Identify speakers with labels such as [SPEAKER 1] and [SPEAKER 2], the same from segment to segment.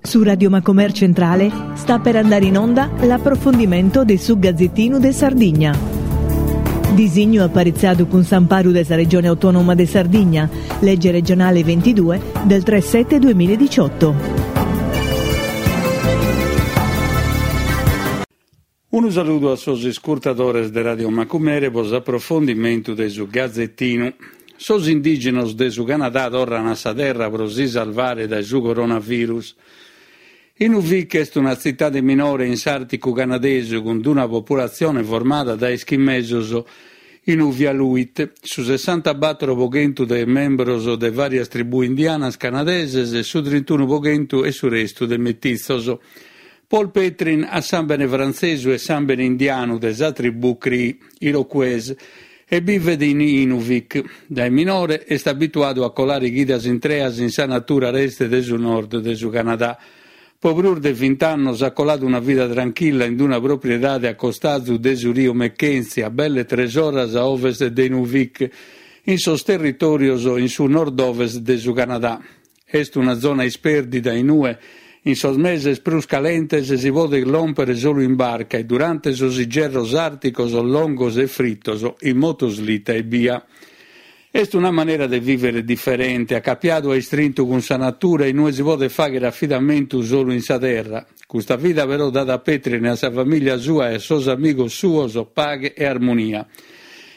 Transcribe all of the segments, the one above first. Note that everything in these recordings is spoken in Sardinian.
[SPEAKER 1] Su Radio Macomer Centrale sta per andare in onda l'approfondimento de su Gazzettinu de Sardigna. Disignu aparitzadu cun s'amparu de sa Regione Autonoma de Sardigna, legge regionale 22 del 3 7 2018.
[SPEAKER 2] Unu saludu a sos iscurtadores de Radio Macumere pro s'aprofondimentu de su Gazetinu. Sos indìgenos de su Canadà torran a sa terra pro si salvare dae su coronavirus. Inuvik est una tzitade minore in s'Àrticu canadesu cun una populatzione formada dae eschimesos Inuvialuit, su sessantabattoro pro chentu de membros de vàrias tribù indianas canadeses e su trintunu pro chentu e su restu de metitzos. Paul Petrin at sàmbene frantzesu e sàmbene indianu de sa tribù Cree, Iroquois, e bivet in Inuvik. Dae minore est abituadu a colare chidas intreas in sa natura areste de su nord de su Canadà. Pro prus de vint'annos at coladu una vida tranchilla in una propriedade a costazu de su riu Mackenzie, a belle tres oras a ovest de Inuvik, in sos territòrios in su nord-ovest de su Canadà. Est una zona ispèrdida in ue, in sos meses prus calentes, si podet lòmpere solu in barca e durante sos igerros àrticos longos e fritos in motoslita ebbia. Est una manera de vìvere diferente, acapiadu a istrintu cun sa natura in ue si podet fàghere afidamentu solu in sa terra. Custa vida però dat a Petrin, a sa famìlia sua e a sos amigos suos paghe e armonia.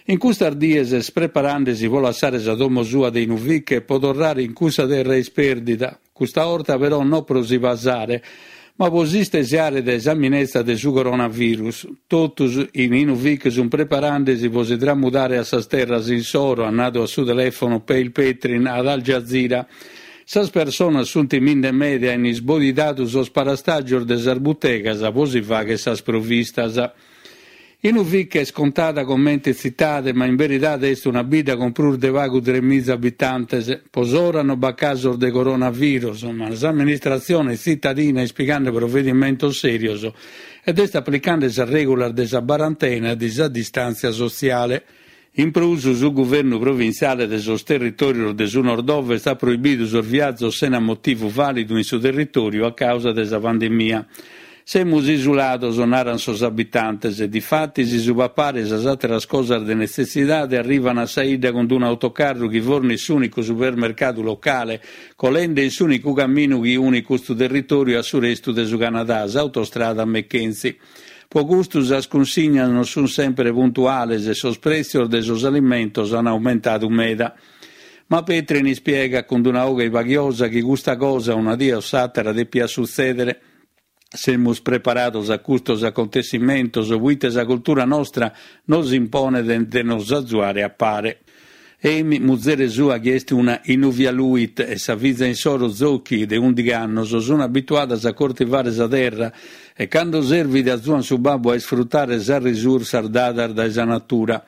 [SPEAKER 2] In custas dies est preparande-si pro lassare sa domo sua de Inuvik e pro torrare in cussa terra ispèrdida, custa 'orta però no pro si pasare, ma pro s'istesiare dae sa minetza de su coronavirus. Totus in Inuvik sunt preparande-si pro si tramudare a sas terras insoro, at nadu a su telèfono Paul Petrin ad Al Jazeera. Sas personas sunt timinde meda e an isbodidadu sos parastàgios de sas butegas pro si fàghere sas provistas. Inuvik est contada comente tzitade, ma in beridade est una bidda cun prus de pagu tremiza abitantes. Pro s'ora no b'at casos de coronavirus, ma s'amministratzione tzitadina est pigande provedimentos sèrios ed est aplicande sas règulas de sa barantena e de sa distàntzia sotziale. In prus, su guvernu provintziale de sos territòrios de su nord-ovest at proibidu sos viazos sena motivu vàlidu in su territòriu a càusa de sa pandemia. Semus isulados, narant sos abitantes. Difatis, su papare e sas àteras cosas de netzessidade arrivant a sa 'idda cun un'autocarru chi fornit s'ùnicu supermercadu locale, colende in s'ùnicu caminu chi unit custu territòriu a su restu de su Canadà, s'autostrada Mackenzie. Pro custu sas cunsignas non sunt semper puntuales e sos prètzios de sos alimentos ant aumentadu meda. Ma Petrin ispiegat cun una 'oghe paghiosa chi custa cosa una die o s'àtera depiat sutzèdere. Semus preparados a custos acontessimentos proite sa cultura nostra nos imponet de nos azuare a pare. Amy, muzere sua chi est una Inuvialuit e sa fiza insoro Zoki de ùndighi annos sun abituadas a cortivare sa terra e cando servit azuan su babbu a isfrutare sas risursas dadas dae sa natura.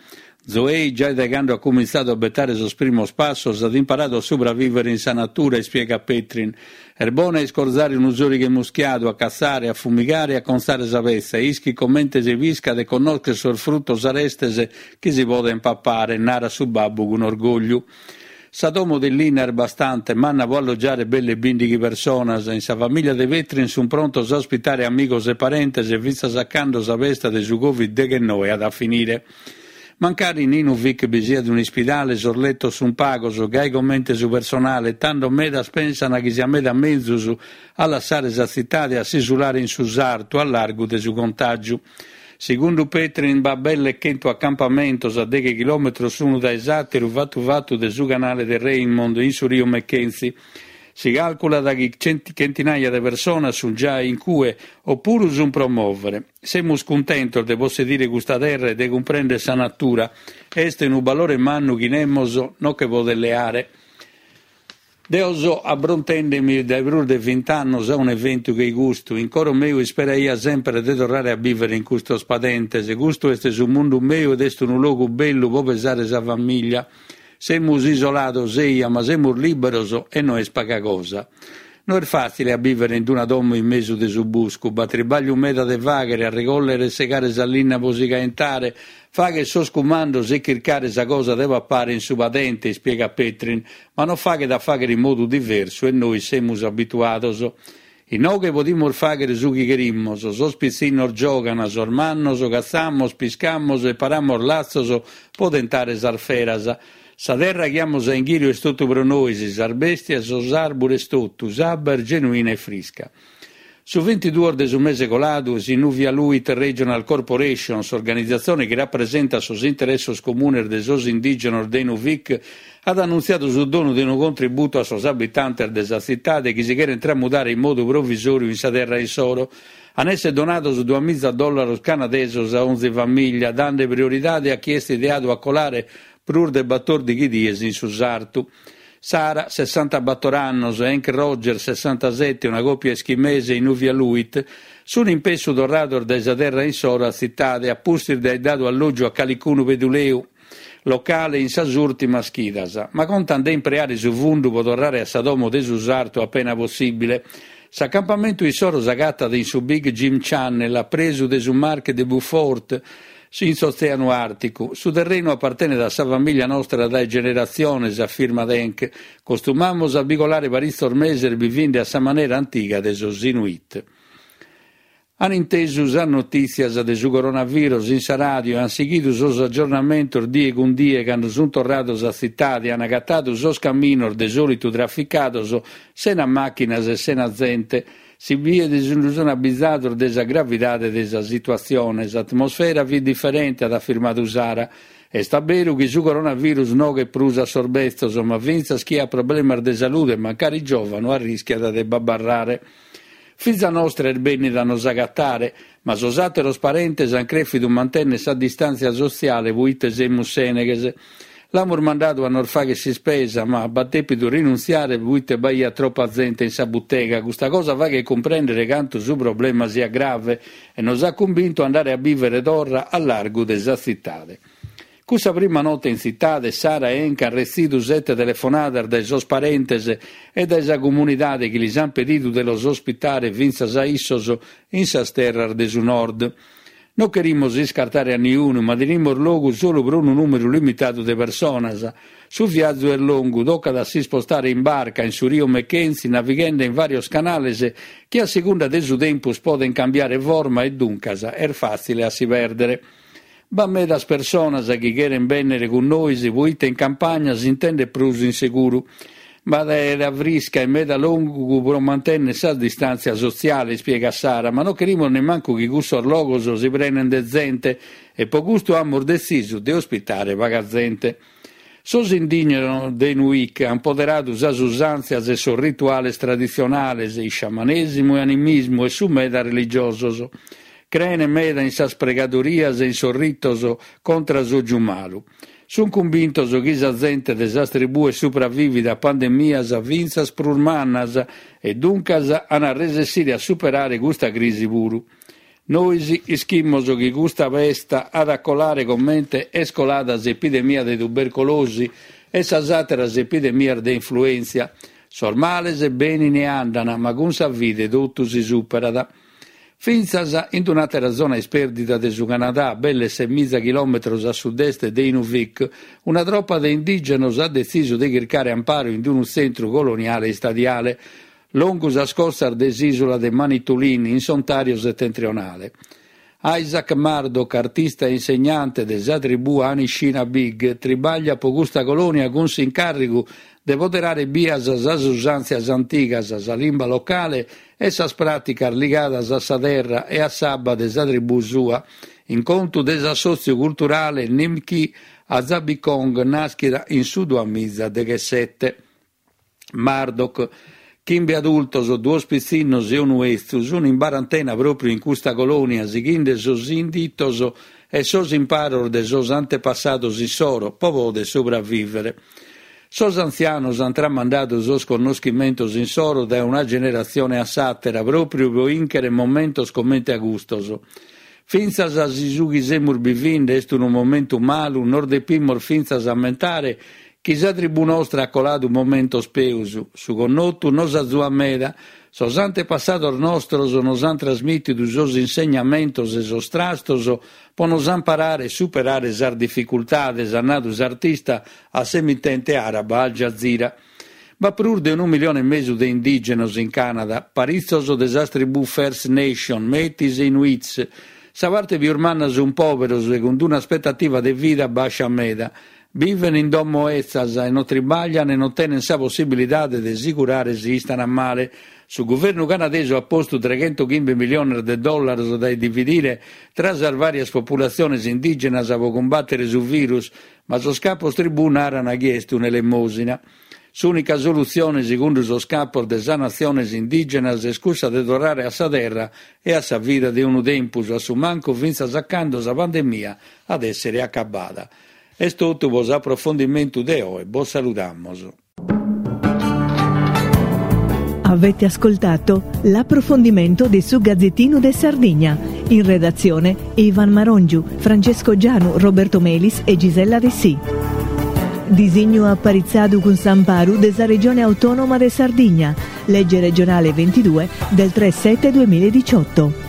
[SPEAKER 2] Zoey, giai dae cando at cumintzadu a betare sos primos passos, at imparadu a subravìvere in sa natura, ispiegat Petrin. Est bona a iscorzare unu sòrighe muschiadu, a catzare, a fumigare e a contzare sa petza e ischit comente si piscat e connoschet sos frutos arestes chi si podent papare, narat su babbu cun orgògliu. Sa domo de linna est bastante manna pro allogiare belle bìndighi personas. In sa famìlia de Petrin sunt prontos a ospitare amigos e parentes fintzas a cando sa pesta de su Covid deghennoe at a finire. Mancari in Inuvik bi siat un'ispidale, sos letos sunt pagos, gai comente su personale, tando medas pensant chi siat meda menzus a lassare sa tzitade e a s'isulare in su sartu, a largu de su contàgiu. Segundu Petrin b'at belle chentu acampamentos a deghe chilòmetros s'unu dae s'àteru fatu fatu de su canale de Raymond in su riu Mackenzie. Si càlculat chi chentinaia de personas sunt giai in cue o puru sunt pro mòvere. Semus cuntentos de possedire custa terra e de cumprèndere sa natura. Est unu balore mannu chi nemos nos che podet leare. Deo so abrontende·mi dae prus de vint'annos a un'eventu che-i custu. In coro meu isperaia semper de torrare a bìvere in custos padentes. Custu est su mundu meu ed est unu logu bellu pro pesare sa famìllia. Semus isolados, eja, ma semus lìberos e no est paga cosa. No est fàtzile a bìvere in una domo in mesu de su buscu. B'at tribàgliu meda de fàghere, a regòllere e segare sa linna pro si caentare, fàghere sos cumandos e chircare sa cosa de papare in su padente, ispiegat Petrin, ma non faghet a fàghere in modu diversu e nois semus abituados. Inoghe podimus fàghere su chi cherimus, sos pitzinnos giogant, sos mannos catzamos, piscamos e paramos latzos pro tentare sas feras. Sa terra chi amus a inghìriu est totu pro nois, sas bèstias, sos àrbures totu, s'abba est genuina e frisca. Su bintiduos de su mese coladu, s'Inuvialuit Regional Corporation, s'organizatzione chi rapresentat sos interessos comunes de sos indìgenos de Inuvik, at annuntziadu su donu de unu contributu a sos abitantes de sa tzitade chi si cherent tramudare in modu provisòriu in sa terra issoro. An èssere donados duamiza dòllaros canadesos a onzi famìllia, dande prioridade a chie est ideadu a colare prus de batòrdighi dies in su sartu. Sara, sessantabator annos, e Hank Rogers, sessantasete, una còpia eschimese Inuvialuit, sunt in pessu torrados dae sa terra insoro a tzitade, a pustis de aer dadu allògiu a calicunu peduleu locale in sas ùrtimas chidas, ma contant de impreare su fundu pro torrare a sa domo de su sartu apena possìbile. S'acampamentu issoro s'agatat in su Big Jim Channel, a presu de su Mar de Beaufort, In s'Otzèanu Àrticu, su terrenu apartenet a sa famìlia nostra dae generatziones, afirmat Hank. Costumamus a bi colare paritzos meses bivinde a sa manera antiga de sos Inuit. An intesu sas notìtzias de su coronavirus in sa ràdio e an sighidu sos agiornamentos die cun die cando sunt torrados a tzitade e an agatadu sos caminos de sòlitu traficados sena màchinas e sena zente. Si biet si nde sun abizados de sa gravidade de sa situatzione. S'atmosfera fit diferente, at afirmadu Sara. Est a beru chi su coronavirus noghet prus a sos betzos, ma fintzas chie at problemas de salude, mancari giòvanu, arrischiat de b'abarrare. Fiza nostra est bènnida a nos agatare, ma sos àteros parentes ant crèfidu mantènnere sa distàntzia sotziale proite semus sèneghes. L'amus mandadu a nos fagher s'ispesa, ma b'at dèpidu rinuntziare proite b'aiat tropa zente in sa butega. Custa cosa faghet cumprèndere cantu su problema siat grave e nos at cumbintu a andare a bìvere torra a largu de sa tzitade. Cussa prima note in tzitade, Sara e Hank ant retzidu sete telefonadas dae sos parentes e dae sa comunidade chi lis ant pedidu de los ospitare fintzas a issos in sas terras de su nord. No cherimus iscartare a niunu, ma tenimus logu solu pro unu nùmeru limitadu de personas. Su viazu est longu, tocat a s'ispostare in barca in su rio Mackenzie navighende in vàrios canales chi a segunda de su tempus podent cambiare forma e duncas est fàtzile a si pèrdere. B'at medas personas chi cherent bènnere cun nois proite in campagna s'intendet prus in seguru. B'at aera frisca e meda logu pro mantènnere sa distàntzia sotziale, ispiegat Sara, ma non cherimus nemmancu chi cussos logos si prenent de zente e pro custu amus detzisu de ospitare paga zente. Sos indìgenos de Inuvik ant poderadu sas usàntzias e sos rituales traditzionales, isciamanèsimu e animismu e sunt meda religiosos. Creent meda in sas pregadorias e in sos ritos contra s'ògiu malu. Sunt cumbintos chi sa zente de sas tribues supravivit a pandemias fintzas prus mannas e duncas an a resessire a superare custa crisi puru. Nois ischimus chi custa pesta at a colare comente est colada s'epidemia de tubercolosi e sas àteras epidemias de influèntzia. Sos males benin e andan, ma cun sa fide totu si superat. Fintzas in un'àtera zona ispèrdida de su Canadà, belle semiza chilòmetros a sud-est de Inuvik, una tropa de indìgenos at detzisu de chircare amparu in unu tzentru coloniale istadiale, longu sas costas de s'ìsula de Manitoulin, in s'Ontàriu setentrionale. Isaac Murdoch, artista e insegnante de sa tribù Anishinabeg, tribagliat pro custa colònia cun s'incàrrigu de poderare bias sas usàntzias antigas, sa limba locale e sas pràticas ligadas a sa terra e a s'abba de sa tribù sua, in contu de s'assòtziu culturale Nimkii Aazabikong nàschida in su duamiza deghessete. Murdoch, chimbe adultos, duos pitzinnos e unu 'etzu sun in barantena pròpriu in custa colònia sighinde sos inditos e sos imparos de sos antepassados issoro pro poder subravìvere. Sos antzianos ant tramandadu sos connoschimentos insoro dae una generatzione a s'àtera pròpriu pro 'ìnchere momentos comente a custos. Fintzas si su chi semus bivinde est unu momentu malu, nos depimus fintzas ammentare chi sa tribù nostra at coladu momentos peus, su connotu nos azuat meda, sos antepassados nostros nos ant trasmìtidu sos insegnamentos e sos trastos pro nos amparare e superare sas dificultades, at nadu s'artista a s'emitente àraba Al Jazeera. B'at prus de unu milione e mesu de indìgenos in Cànada, paritzos de sas tribù First Nation, Métis e Inuits. Sa parte pius manna sunt pòberos e cun un'aspetativa de vida bàscia meda. Biven in domo 'etzas e non tribaglian e non tenen sa possibilidade de si curare si istan male. Su guvernu canadesu at postu treghentochimbe miliones de dòllaros dae dividire tra sas vàrias populatziones indìgenas pro cumbàtere su virus, ma sos capos tribù naran chi est un'elemòsina. S'ùnica solutzione, segundu sos capos de sas natziones indìgenas, est cussa de torrare a sa terra e a sa vida de unu tempus, a su mancu fintzas a cando sa pandemia at èssere acabada. Est totu pro s'aprofondimentu de oe, bos saludamus.
[SPEAKER 1] Avete ascoltato l'approfondimento de su Gazzettino de Sardigna. In redazione Ivan Marongiu, Francesco Gianu, Roberto Melis e Gisella Dessì. Disignu aparitzadu cun s'amparu de sa Regione Autonoma de Sardigna, legge regionale 22 del 3 7 2018.